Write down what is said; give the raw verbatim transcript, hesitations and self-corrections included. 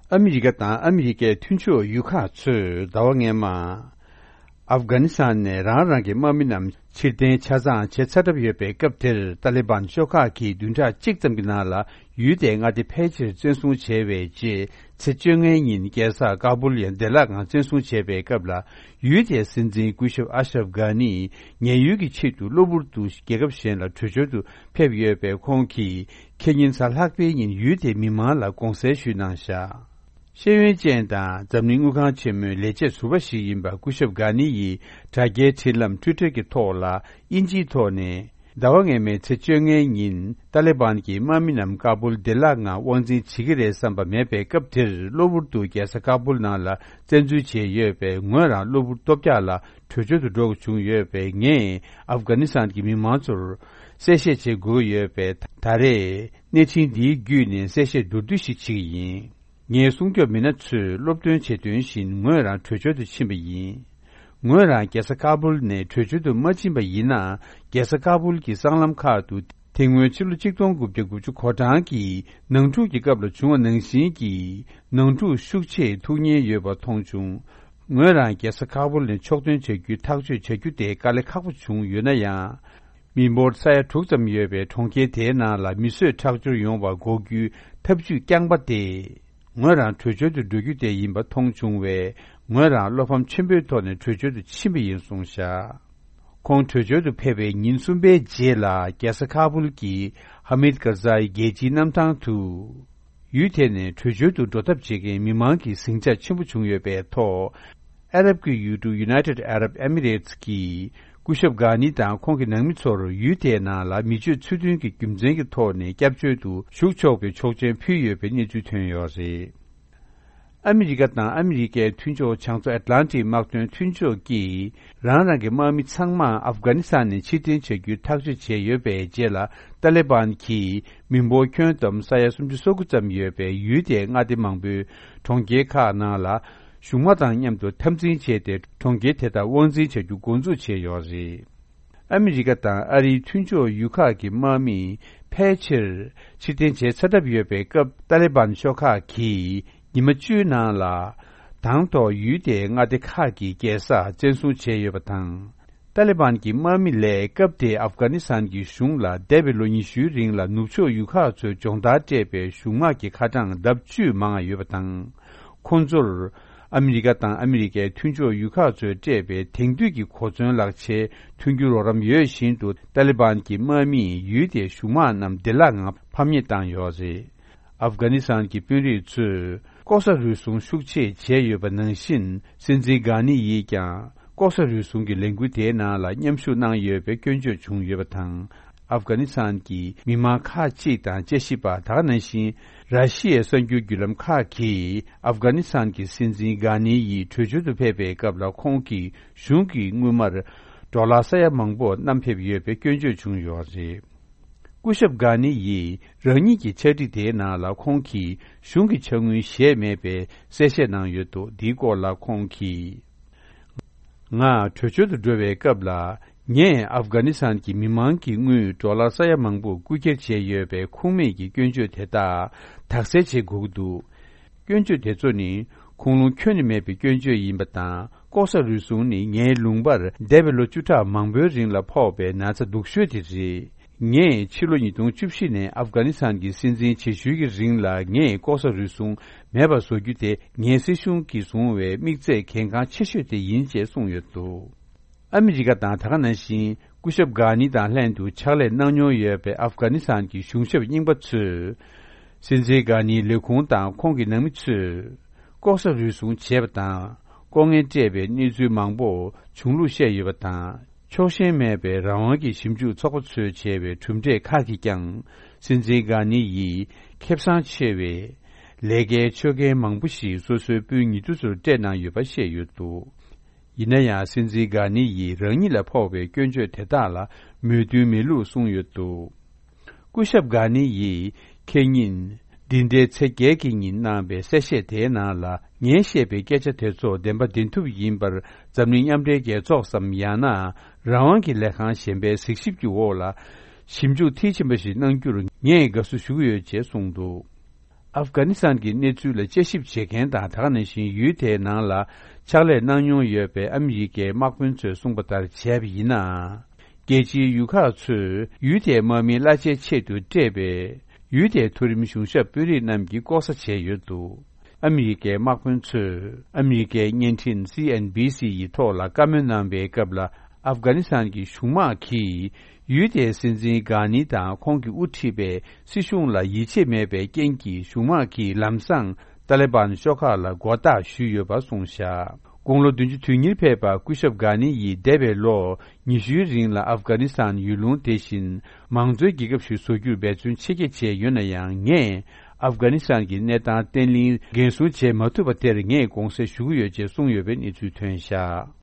ཨ་མི་རི་ཀ་དང་ཨ་མི་རི་ཀའི་མཐུན་ཕྱོགས་ཡུལ་ཁག་ཚོས་ཟླ་བ་སྔོན་མ། ཨབ་གྷ་ནི་སི་ཐན་ནས་རང་རང་གི་དམག་མི་རྣམས་ཕྱིར་འཐེན་ཆ་ཚང་བྱེད་ཚར་གྲབས་ཡོད་པའི་སྐབས་དེར། ཏཱ་ལི་བན་ཤོག་ཁག་གིས་བདུན་ཕྲག་གཅིག་ཙམ་གྱི་ནང་ལ་ཡུལ་དེའི་མངའ་སྡེ་ཕལ་ཆེར་བཙན་བཟུང་བྱས་པའི་རྗེས། ཚེས་བཅོ་ལྔའི་ཉིན་རྒྱལ་ས་ཀ་བུལ་ཡང་བདེ་བླག་ངང་བཙན་བཟུང་བྱས་པའི་སྐབས་ལ། ཡུལ་དེའི་སྲིད་འཛིན་སྐུ་ཞབས་ཨ་ཤ་རབ་གྷ་ནི་ཉེན་གཡོལ་གྱི་ཆེད་དུ་གློ་བུར་དུ་རྒྱལ་ཁབ་གཞན་ལ་བྲོས་བྱོལ་དུ་ཕེབས་ཡོད་པས། ཁོང་གིས་ཁེ་ཉིན་གཟའ་ལྷག་པའི་ཉིན་ཡུལ་དེའི་མི་མང་ལ་དགོངས་སེལ་ཞུས་གནང་བཞག་ཤེས་ཡོན་ཅན་དང་འཛམ་གླིང་དངུལ་ཁང་ཆེན་མོའི་ལས་བྱེད་ཟུར་པ་ཞིག་ཡིན་པ་སྐུ་ཞབས་གྷ་ནི་ཡིས་དྲ་རྒྱའི་འཕྲིན་ལམ་ཊུའི་ཊར་གྱི་ཐོག་ལ་དབྱིན་ཇིའི་ཐོག་ནས། ཟླ་བ་སྔོན་མའི་ཚེས་བཅོ་ལྔའི་ཉིན་ཏཱ་ལི་བན་གྱི་དམག་མི་རྣམས་ཀ་བུལ་བདེ་བླག་ངང་དབང་འཛིན་བྱེད་ཀྱི་རེད་བསམ་པ་མེད་པའི་སྐབས་དེར། གློ་བུར་དུ་རྒྱལ་ས་ཀ་བུལ་ནང་ལ་བཙན་འཛུལ་བྱས་ཡོད་པས། ངོས་རང་གློ་བུར་ལྟོ་འཕྱག་ལ་བྲོས་བྱོལ་དུ་འགྲོ་དགོས་བྱུང་ཡོད་པས། ངས་ཨབ་གྷ་ནི་སི་ཐན་གྱི་མི་མང་ཚོར་གསལ་བཤད་བྱེད་དགོས་ཡོད་པས། ད་རེས་གནས་ཆེན་འདིའི་བརྒྱུད་ནས་གསལ་བཤད་མདོར་བསྡུས་ཤིག་བྱེད་ཀྱི་ཡིན། ངའི་སྲུང་སྐྱོབ་མི་སྣ་ཚོས་སློབ་སྟོན་བྱེད་དོན་བཞིན་ངོས་རང་བྲོས་བྱོལ་དུ་ཕྱིན་པ་ཡིན། ངོས་རང་རྒྱལ་ས་ཀ་བུལ་ནས་བྲོས་བྱོལ་དུ་མ་ཕྱིན་པ་ཡིན་ན། རྒྱལ་ས་ཀ་བུལ་གྱི་སྲང་ལམ་ཁག་ཏུ་དེ་སྔོན་ཕྱི་ལོ་གཅིག་སྟོང་དགུ་བརྒྱ་དགུ་བཅུ་གོ་གྲངས་ཀྱི་ནང་འཁྲུག་གི་སྐབས་ལ་བྱུང་བ་ནང་བཞིན་གྱི་ནང་འཁྲུག་ཤུགས་ཆེ་ཐུག་ཉེན་ཡོད་པ་མཐོང་བྱུང་། ངོས་རང་རྒྱལ་ས་ཀ་བུལ་ནས་ཕྱོགས་ཐོན་བྱ་རྒྱུའི་ཐག་གཅོད་བྱ་རྒྱུ་དེ་དཀའ་ལས་ཁག་པོ་བྱུང་ཡོད་ན་ཡང་། མི་འབོར་ས་ཡ་དྲུག་ཙམ་ཡོད་པའི་གྲོང་ཁྱེར་དེའི་ནང་ལ་མི་གསོད་ཁྲག་སྦྱོར་ཡོང་བ་འགོག་རྒྱུའི་ཐབས་ཇུས་རྐྱང་པ་དེ། ངོས་རང་བྲོས་བྱོལ་དུ་འགྲོ་རྒྱུ་དེ་ཡིན་པ་མཐོང་བྱུང་བས། ངོས་རང་བློ་ཕམ་ཆེན་པོའི་ཐོག་ནས་བྲོས་བྱོལ་དུ་ཕྱིན་པ་ཡིན་གསུངས་བཞག་ཁོང་བྲོས་བྱོལ་དུ་ཕེབས་པའི་ཉིན་གསུམ་པའི་རྗེས་ལ། རྒྱལ་ས་ཁ་བུལ་གྱི་ཧ་མིད་ཀར་ཛའི་རྒྱལ་སྤྱིའི་གནམ་ཐང་དུ། ཡུལ་དེ་ནས་བྲོས་བྱོལ་དུ་འགྲོ་ཐབས་བྱེད་མཁན་མི་མང་གི་ཟིང་ཆ་ཆེན་པོ་བྱུང་ཡོད་པའི་ཐོག་ཨ་རབ་ཀྱི་ཡུལ་གྲུ་United Arab Emirates གིས་སྐུ་ཞབས་གྷ་ནི་དང་ཁོང་གི་ནང་མི་ཚོར་ཡུལ་དེའི་ནང་ལ་མི་སྤྱོད་ཚུལ་མཐུན་གྱི་རྒྱུ་མཚན་གྱི་ཐོག་ནས་སྐྱབས་བཅོལ་དུ་ཞུགས་ཆོག་པའི་ཆོག་མཆན་ཕུལ་ཡོད་པའི་གནས་ཚུལ་ཐོན་ཡོད་རེད། ཨ་མི་རི་ཀ་དང་ཨ་མི་རི་ཀའི་མཐུན་ཕྱོགས་བྱང་མཚོ་ཨེཊ་ལན་ཊིག་དམག་དོན་མཐུན་ཕྱོགས་ཀྱིས་རང་རང་གི་དམག་མི་ཚང་མ་ཨབ་གྷ་ནི་སི་ཐན་ནས་ཕྱིར་འཐེན་བྱ་རྒྱུའི་ཐག་གཅོད་བྱས་ཡོད་པའི་རྗེས་ལ། ཏཱ་ལི་བན་གྱིས་མི་འབོར་ཁྱོན་བསྡོམས་ས་ཡ་སུམ་ཅུ་སོ་དགུ་ཙམ་ཡོད་པའི་ཡུལ་དེའི་མངའ་སྡེ་མང་པོའི་གྲོང་ཁྱེར་ཁག་ནང་ལ་གཞུང་དམག་དང་མཉམ་དུ་འཐབ་འཛིང་བྱས་ཏེ། གྲོང་ཁྱེར་དེ་དག་དབང་འཛིན་བྱ་རྒྱུ་འགོ་འཛུགས་བྱས་ཡོད་རེད། ཨ་མི་རི་ཀ་དང་ཨ་རིའི་མཐུན་ཕྱོགས་ཡུལ་ཁག་གི་དམག་མི་ཕལ་ཆེར་ཕྱིར་འཐེན་བྱས་ཚར་གྲབས་ཡོད་པའི་སྐབས། ཏཱ་ལི་བན་ཤོག་ཁག་གིས་ཉི་མ་བཅུའི་ནང་ལ་དང་ཐོག་ཡུལ་དེའི་མངའ་སྡེ་ཁག་གི་རྒྱལ་ས་བཙན་བཟུང་བྱས་ཡོད་པ་དང་། ཏཱ་ལི་བན་གྱི་དམག་མི་ལས་སྐབས་དེའི་ཨབ་གྷ་ནི་སི་ཐན་གྱི་གཞུང་ལ་འདས་པའི་ལོ་ཉི་ཤུའི་རིང་ལ་ནུབ་ཕྱོགས་ཡུལ་ཁག་ཚོས་སྦྱོང་བརྡར་སྤྲད་པའི་གཞུང་དམག་གི་ཁ་གྲངས་ལྡབ་བཅུས་མང་བ་ཡོད་པ་དང་། ཁོང་ཚོར་ཨ་མི་རི་ཀ་དང་ཨ་མི་རི་ཀའི་མཐུན་ཕྱོགས་ཡུལ་ཁག་ཚོས་སྤྲད་པའི་དེང་དུས་ཀྱི་གོ་མཚོན་ལག་ཆའི་མཐུན་འགྱུར་རོགས་རམ་ཡོད་བཞིན་དུ། ཏཱ་ལི་བན་གྱི་དམག་མིས་ཡུལ་དེའི་གཞུང་དམག་རྣམས་བདེ་བླག་ངང་ཕམ་ཉེས་བཏང་ཡོད་རེད། ཨབ་གྷ་ནི་སི་ཐན་གྱི་དཔོན་རིགས་ཚོས་ལྐོག་ཟ་རུལ་སུངས་ཤུགས་ཆེ་བྱས་ཡོད་པ་ནང་བཞིན། སྲིད་འཛིན་གྷ་ནི་ཡིས་ཀྱང་ལྐོག་ཟ་རུལ་སུངས་ཀྱི་ལས་འགུལ་དེའི་ནང་ལ་མཉམ་ཞུགས་གནང་ཡོད་པའི་སྐྱོན་བརྗོད་བྱུང་ཡོད་པ་དང་། ཨབ་གྷ་ནི་སི་ཐན་གྱི་མི་མང་ཁག་ཅིག་དང་དཔྱད་ཞིབ་པ། དེ་ག་ནང་བཞིན་ར་ཤི་ཡའི་གསར་འགྱུར་བརྒྱུད་ལམ་ཁག་གིས་ཨབ་གྷ་ནི་སི་ཐན་གྱི་སྲིད་འཛིན་གྷ་ནི་ཡིས་བྲོས་བྱོལ་དུ་ཕེབས་པའི་སྐབས་ལ། ཁོང་གིས་གཞུང་གི་དངུལ་སྨར་ཌོ་ལར་ས་ཡ་མང་པོ་བསྣམས་ཕེབས་ཡོད་པའི་སྐྱོན་བརྗོད་བྱུང་ཡོད་རེད། སྐུ་ཞབས་གྷ་ནི་ཡིས་རང་ཉིད་ཀྱི་ཕྱག་བྲིས་དེའི་ནང་ལ། ཁོང་གིས་གཞུང་གི་ཕྱག་དངུལ་བཞེས་མེད་པའི་གསལ་བཤད་གནང་ཡོད་འདུག་འདིའི་སྐོར་ལ་ཁོང་གིས། ང་བྲོས་བྱོལ་དུ་འགྲོ་བའི་སྐབས་ལ། ངས་ཨབ་གྷ་ནི་སི་ཐན་གྱི་མི་མང་གི་དངུལ་ཌོ་ལར་ས་ཡ་མང་པོ་རྐུ་འཁྱེར་བྱས་ཡོད་པའི་ཁུངས་མེད་ཀྱི་སྐྱོན་བརྗོད་དེ་དག་དག་སེལ་བྱེད་དགོས་ཀྱི་འདུག་སྐྱོན་བརྗོད་དེ་ཚོ་ནི་ཁུངས་ལུང་ཁྱོན་ནས་མེད་པའི་སྐྱོན་བརྗོད་ཡིན་པ་དང་། ལྐོག་ཟ་རུལ་སུངས་ནི་ངའི་ལུང་པར་འདས་པའི་ལོ་བཅུ་ཕྲག་མང་པོའི་རིང་ལ་ཕོག་པའི་ན་ཚ་སྡུག་ཤོས་དེ་རེད། ངས་ཕྱི་ལོ་ཉིས་སྟོང་བཅུ་བཞི་ནས་ཨབ་གྷ་ནི་སི་ཐན་གྱི་སྲིད་འཛིན་བྱེད་ཤུལ་གྱི་རིང་ལ། ངས་ལྐོག་ཟ་རུལ་སུངས་མེད་པ་བཟོ་རྒྱུ་དེ་ངའི་སྲིད་གཞུང་གིས་བཟུང་བའི་དམིགས་ཚད་གལ་འགངས་ཆེ་ཤོས་དེ་ཡིན་ཅེས་གསུངས་ཡོད་འདུག་ཨ་མི་རི་ཀ་དང་། དེ་ག་ནང་བཞིན་སྐུ་ཞབས་གྷ་ནི་དང་ལྷན་དུ་ཕྱག་ལས་གནང་མྱོང་ཡོད་པའི་ཨབ་གྷ་ནི་སི་ཐན་གྱི་གཞུང་ཞབས་རྙིང་པ་ཚོས། སྲིད་འཛིན་གྷ་ནིའི་ལས་ཁུངས་དང་ཁོང་གི་ནང་མི་ཚོས་ལྐོག་ཟ་རུལ་སུངས་བྱས་པ་དང་། ལྐོག་རྔན་སྤྲད་པའི་གནས་ཚུལ་མང་པོ་བྱུང་ལུགས་བཤད་ཡོད་པ་དང་། ཕྱོགས་ཞེན་མེད་པའི་རང་དབང་གི་ཞིབ་འཇུག་ཚོགས་པ་ཚོས་བྱས་པའི་གྲུབ་འབྲས་ཁག་གིས་ཀྱང་། སྲིད་འཛིན་གྷ་ནི་ཡིས་ཁེ་བཟང་ཆེ་བའི་ལས་ཀའི་ཆོད་གན་མང་པོ་ཞིག་སོ་སོའི་སྤུན་ཉེ་དུ་ཚོར་སྤྲད་གནང་ཡོད་པ་བཤད་ཡོད་འདུག་ཡིན་ན་ཡང་། སྲིད་འཛིན་གྷ་ནི་ཡིས་རང་ཉིད་ལ་ཕོག་པའི་སྐྱོན་བརྗོད་དེ་དག་ལ་མོས་མཐུན་མེད་ལུགས་གསུངས་ཡོད་འདུག་སྐུ་ཞབས་གྷ་ནི་ཡིས་ཁེ་ཉིན་འདི་ཟླའི་ཚེས་བརྒྱད་ཀྱི་ཉིན་གནང་བའི་གསལ་བཤད་དེའི་ནང་ལ། ངས་བཤད་པའི་སྐད་ཆ་དེ་ཚོ་བདེན་པ་བདེན་ཐུབ་ཡིན་པར། འཛམ་གླིང་མཉམ་འབྲེལ་རྒྱལ་ཚོགས་སམ། ཡང་ན་རང་དབང་གི་ལས་ཁང་གཞན་པའི་གཟིགས་ཞིབ་ཀྱི་འོག་ལ་ཞིབ་འཇུག་མཐིལ་ཕྱིན་པ་ཞིག་གནང་རྒྱུར་ངས་དགའ་བསུ་ཞུ་གི་ཡོད་ཅེས་གསུངས་འདུག་ཨབ་གྷ་ནི་སི་ཐན་གྱི་གནས་ཚུལ་ལ་དཔྱད་ཞིབ་བྱེད་མཁན་དང་། ད་ག་ནང་བཞིན་ཡུལ་དེའི་ནང་ལ་ཕྱག་ལས་གནང་མྱོང་ཡོད་པའི་ཨ་མི་རི་ཀའི་དམག་དཔོན་ཚོས་གསུངས་པ་ལྟར་བྱས་པ་ཡིན་ན། རྒྱལ་སྤྱིའི་ཡུལ་ཁག་ཚོས་ཡུལ་དེའི་དམག་མིའི་གླ་ཆའི་ཆེད་དུ་སྤྲད་པའི་ཡུལ་དེའི་མཐོ་རིམ་གཞུང་ཞབས་དཔོན་རིགས་རྣམས་ཀྱིས་ལྐོག་ཟ་བྱས་ཡོད་འདུག་ཨ་མི་རི་ཀའི་དམག་དཔོན་ཚོས་ཨ་མི་རི་ཀའི་བརྙན་འཕྲིན་སི་ཨེན་བྷི་སི་ཡི་ཐོག་ལ་བཀའ་མོལ་གནང་པའི་སྐབས་ལ། ཨབ་གྷ་ནི་སི་ཐན་གྱི་གཞུང་དམག་གིས་ཡུལ་དེའི་སྲིད་འཛིན་གྷ་ནི་དང་ཁོང་གིས་དབུ་ཁྲིད་པའི་སྲིད་གཞུང་ལ་ཡིད་ཆེས་མེད་པའི་རྐྱེན་གྱིས། གཞུང་དམག་གིས་ལམ་སང་ཏཱ་ལི་བན་ཤོག་ཁག་ལ་མགོ་བཏགས་ཞུས་ཡོད་པ་གསུངས་བཞག་དགུང་ལོ་བདུན་ཅུ་དོན་གཉིས་ཕེབས་པ་སྐུ་ཞབས་གྷ་ནི་ཡིས་འདས་པའི་ལོ་ཉི་ཤུའི་རིང་ལ་ཨབ་གྷ་ནི་སི་ཐན་ཡུལ་ལུང་དེ་བཞིན་མང་གཙོའི་རྒྱལ་ཁབ་ཞིག་བཟོ་རྒྱུར་འབད་བརྩོན་ཆེ་བསྐྱེད་བྱས་ཡོད་ན་ཡང་། ངས་ཨབ་གྷ་ནི་སི་ཐན་གྱི་གནས་སྟངས་བརྟན་བརླིང་འགན་སྲུང་བྱེད་མ་ཐུབ་པ་དེར་ངས་དགོངས་སེལ་ཞུ་གི་ཡོད་ཅེས་གསུངས་ཡོད་པའི་གནས་ཚུལ་ཐོན་བཞག